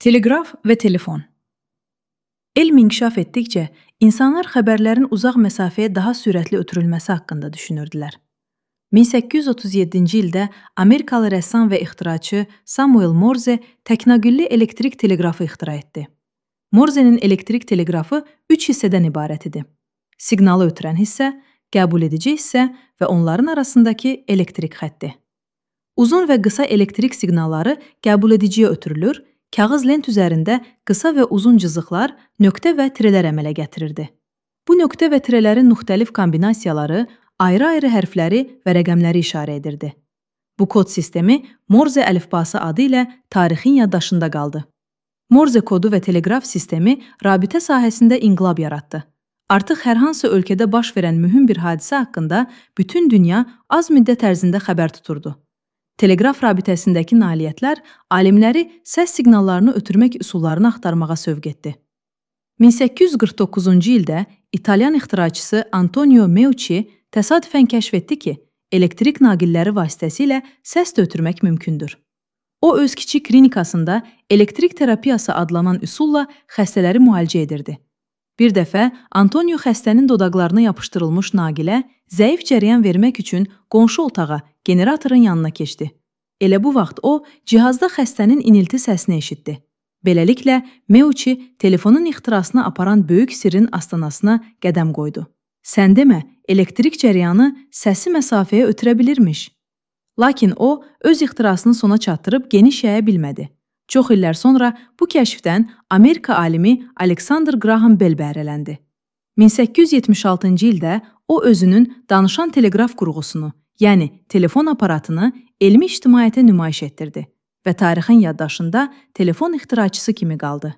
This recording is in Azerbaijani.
Teleqraf və telefon. Elm inkişaf etdikcə, insanlar xəbərlərin uzaq məsafəyə daha sürətli ötürülməsi haqqında düşünürdülər. 1837-ci ildə Amerikalı rəssam və ixtiraçı Samuel Morse təknagülli elektrik teleqrafı ixtira etdi. Morsenin elektrik teleqrafı 3 hissədən ibarət idi. Siqnalı ötürən hissə, qəbul edici hissə və onların arasındakı elektrik xətti. Uzun və qısa elektrik siqnalları qəbul ediciyə ötürülür, kağız lent üzərində qısa və uzun cızıqlar, nöqtə və tirələr əmələ gətirirdi. Bu nöqtə və tirələrin müxtəlif kombinasiyaları ayrı-ayrı hərfləri və rəqəmləri işarə edirdi. Bu kod sistemi Morse əlifbası adı ilə tarixin yaddaşında qaldı. Morse kodu və teleqraf sistemi rabitə sahəsində inqilab yaratdı. Artıq hər hansı ölkədə baş verən mühüm bir hadisə haqqında bütün dünya az müddət ərzində xəbər tuturdu. Teleqraf rabitəsindəki nailiyyətlər alimləri səs siqnallarını ötürmək üsullarını axtarmağa sövq etdi. 1849-cu ildə İtalyan ixtiraçısı Antonio Meucci təsadüfən kəşf etdi ki, elektrik naqilləri vasitəsilə səs də ötürmək mümkündür. O, öz kiçik klinikasında elektrik terapiyası adlanan üsulla xəstələri müalicə edirdi. Bir dəfə Antonio xəstənin dodaqlarına yapışdırılmış naqilə zəif cəryan vermək üçün qonşu otağa, generatorun yanına keçdi. Elə bu vaxt o, cihazda xəstənin inilti səsini eşitdi. Beləliklə, Meucci telefonun ixtirasına aparan böyük sirrin astanasına qədəm qoydu. Sən demə, elektrik cəryanı səsi məsafəyə ötürə bilirmiş. Lakin o, öz ixtirasını sona çatdırıb geniş yaya bilmədi. Çox illər sonra bu kəşfdən Amerika alimi Alexander Graham Bell bəhrələndi. 1876-cı ildə o özünün danışan teleqraf qurğusunu, yəni telefon aparatını elmi ictimaiyyətə nümayiş etdirdi və tarixin yaddaşında telefon ixtiraçısı kimi qaldı.